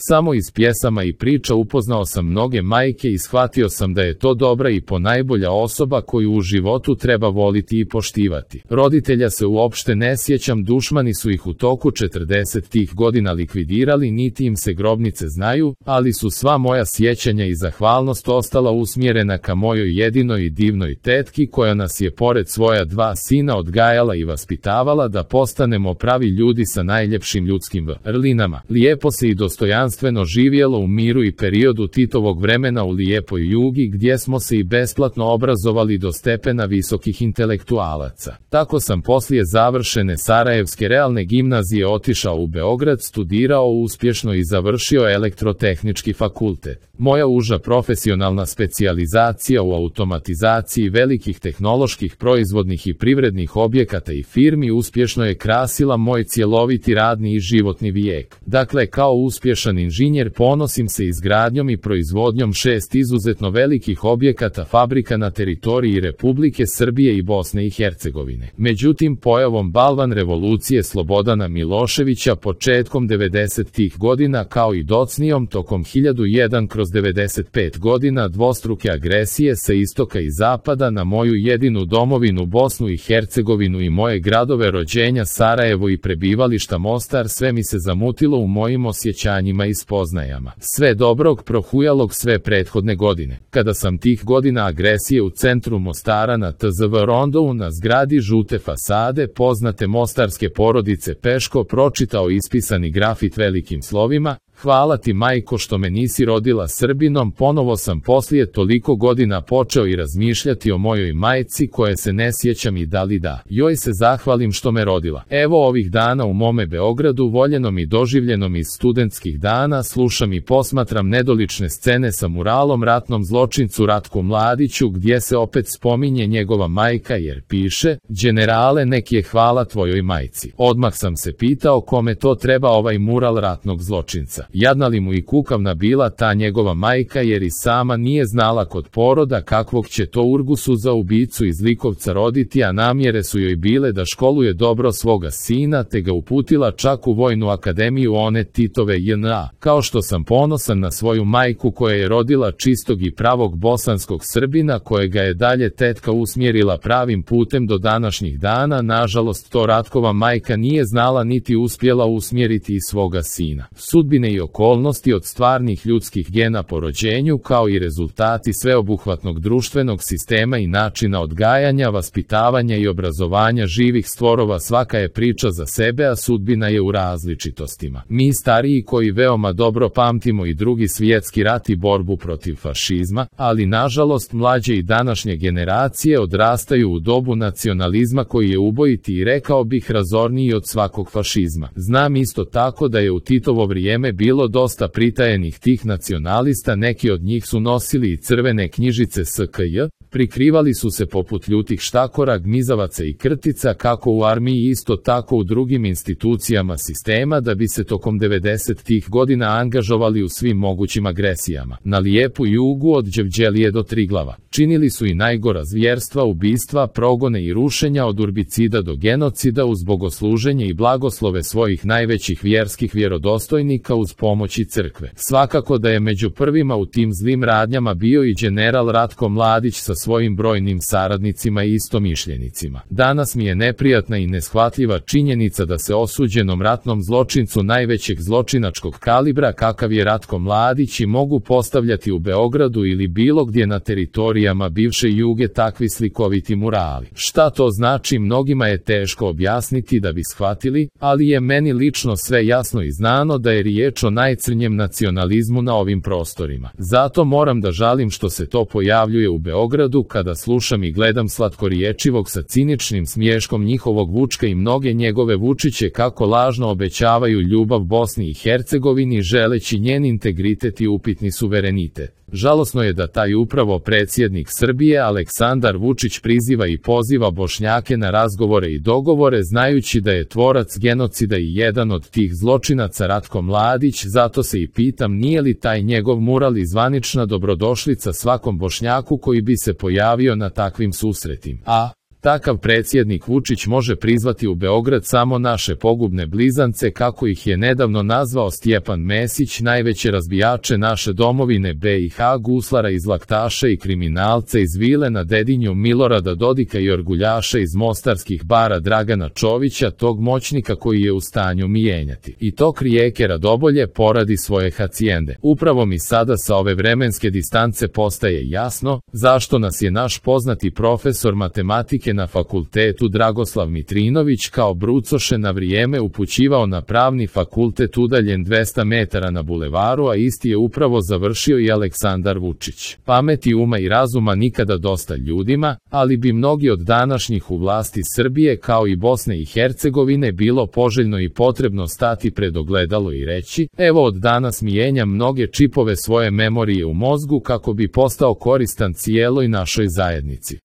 Samo iz pjesama i priča upoznao sam mnoge majke i shvatio sam da je to dobra i ponajbolja osoba koju u životu treba voliti i poštivati. Roditelja se uopšte ne sjećam, dušmani su ih u toku 40-tih godina likvidirali, niti im se grobnice znaju, ali su sva moja sjećanja i zahvalnost ostala usmjerena ka mojoj jedinoj i divnoj tetki koja nas je pored svoja 2 sina odgajala i vaspitavala da postanemo pravi ljudi sa najljepšim ljudskim vrlinama. Lijepo se i dostojanstveno živjelo u miru i periodu Titovog vremena u lijepoj Jugi, gdje smo se i besplatno obrazovali do stepena visokih intelektualaca. Tako sam poslije završene Sarajevske realne gimnazije otišao u Beograd, studirao uspješno i završio elektrotehnički fakultet. Moja uža profesionalna specijalizacija u automatizaciji velikih tehnoloških proizvodnih i privrednih objekata i firmi uspješno je krasila moj cjeloviti radni i životni vijek. Dakle, kao uspješan inženjer ponosim se izgradnjom i proizvodnjom 6 izuzetno velikih objekata fabrika na teritoriji Republike Srbije i Bosne i Hercegovine. Međutim, pojavom balvan revolucije Slobodana Miloševića početkom 90-tih godina kao i docnijom tokom 1001/95 godina dvostruke agresije sa istoka i zapada na moju jedinu domovinu Bosnu i Hercegovinu i moje gradove rođenja Sarajevo i prebivališta Mostar, sve mi se zamutilo u mojim osjećanjima i spoznajama. Sve dobrog prohujalog sve prethodne godine. Kada sam tih godina agresije u centru Mostara na TZV Rondovu na zgradi žute fasade poznate mostarske porodice Peško pročitao ispisani grafit velikim slovima: "Hvala ti majko što me nisi rodila Srbinom", ponovo sam poslije toliko godina počeo i razmišljati o mojoj majci koje se ne sjećam i da li da joj se zahvalim što me rodila. Evo ovih dana u mome Beogradu, voljenom i doživljenom iz studentskih dana, slušam i posmatram nedolične scene sa muralom ratnom zločincu Ratku Mladiću gdje se opet spominje njegova majka jer piše: "Đenerale, nek je hvala tvojoj majci." Odmah sam se pitao kome to treba ovaj mural ratnog zločinca. Jadna li mu i kukavna bila ta njegova majka jer i sama nije znala kod poroda kakvog će to Urgusu za ubicu iz Likovca roditi, a namjere su joj bile da školuje dobro svoga sina te ga uputila čak u Vojnu akademiju one Titove JNA. Kao što sam ponosan na svoju majku koja je rodila čistog i pravog bosanskog Srbina kojega je dalje tetka usmjerila pravim putem do današnjih dana, nažalost to Ratkova majka nije znala niti uspjela usmjeriti i svoga sina. Sudbine i okolnosti od stvarnih ljudskih gena po rođenju kao i rezultati sveobuhvatnog društvenog sistema i načina odgajanja, vaspitavanja i obrazovanja živih stvorova svaka je priča za sebe, a sudbina je u različitostima. Mi stariji koji veoma dobro pamtimo i Drugi svjetski rat i borbu protiv fašizma, ali nažalost mlađe i današnje generacije odrastaju u dobu nacionalizma koji je ubojiti i rekao bih razorniji od svakog fašizma. Znam isto tako da je u Titovo vrijeme bilo dosta pritajenih tih nacionalista, neki od njih su nosili i crvene knjižice SKJ, prikrivali su se poput ljutih štakora, gmizavaca i krtica kako u armiji isto tako u drugim institucijama sistema da bi se tokom 90-tih godina angažovali u svim mogućim agresijama. Na lijepu Jugu od Đevđelije do Triglava. Činili su i najgora zvjerstva, ubistva, progone i rušenja od urbicida do genocida uz bogosluženje i blagoslove svojih najvećih vjerskih vjerodostojnika uz pomoći crkve. Svakako da je među prvima u tim zlim radnjama bio i general Ratko Mladić sa svojim brojnim saradnicima i istomišljenicima. Danas mi je neprijatna i neshvatljiva činjenica da se osuđenom ratnom zločincu najvećeg zločinačkog kalibra kakav je Ratko Mladić i mogu postavljati u Beogradu ili bilo gdje na teritorijama bivše Juge takvi slikoviti murali. Šta to znači mnogima je teško objasniti da bi shvatili, ali je meni lično sve jasno i znano da je riječ o najcrnjem nacionalizmu na ovim prostorima. Zato moram da žalim što se to pojavljuje u Beogradu kada slušam i gledam slatkoriječivog sa ciničnim smiješkom njihovog Vučka i mnoge njegove Vučiće kako lažno obećavaju ljubav Bosni i Hercegovini želeći njen integritet i upitni suverenitet. Žalosno je da taj upravo predsjednik Srbije Aleksandar Vučić priziva i poziva Bošnjake na razgovore i dogovore znajući da je tvorac genocida i jedan od tih zločinaca Ratko Mladić, zato se i pitam nije li taj njegov mural i zvanična dobrodošlica svakom Bošnjaku koji bi se pojavio na takvim susretima. A Takav predsjednik Vučić može prizvati u Beograd samo naše pogubne blizance, kako ih je nedavno nazvao Stjepan Mesić, najveće razbijače naše domovine BiH, guslara iz Laktaše i kriminalce iz vile na Dedinju Milorada Dodika i orguljaša iz mostarskih bara Dragana Čovića, tog moćnika koji je u stanju mijenjati i tok rijeke Radobolje poradi svoje hacijende. Upravo mi sada sa ove vremenske distance postaje jasno zašto nas je naš poznati profesor matematike na fakultetu Dragoslav Mitrinović kao brucoše na vrijeme upućivao na pravni fakultet udaljen 200 metara na bulevaru, a isti je upravo završio i Aleksandar Vučić. Pameti, uma i razuma nikada dosta ljudima, ali bi mnogi od današnjih u vlasti Srbije kao i Bosne i Hercegovine bilo poželjno i potrebno stati pred ogledalo i reći: evo, od danas mijenjam mnoge čipove svoje memorije u mozgu kako bi postao koristan cijeloj našoj zajednici.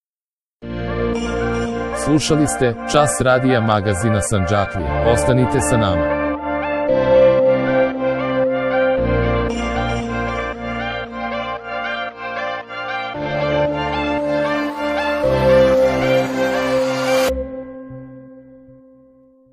Slušali ste Čas radija magazina Sandžaklije. Ostanite sa nama.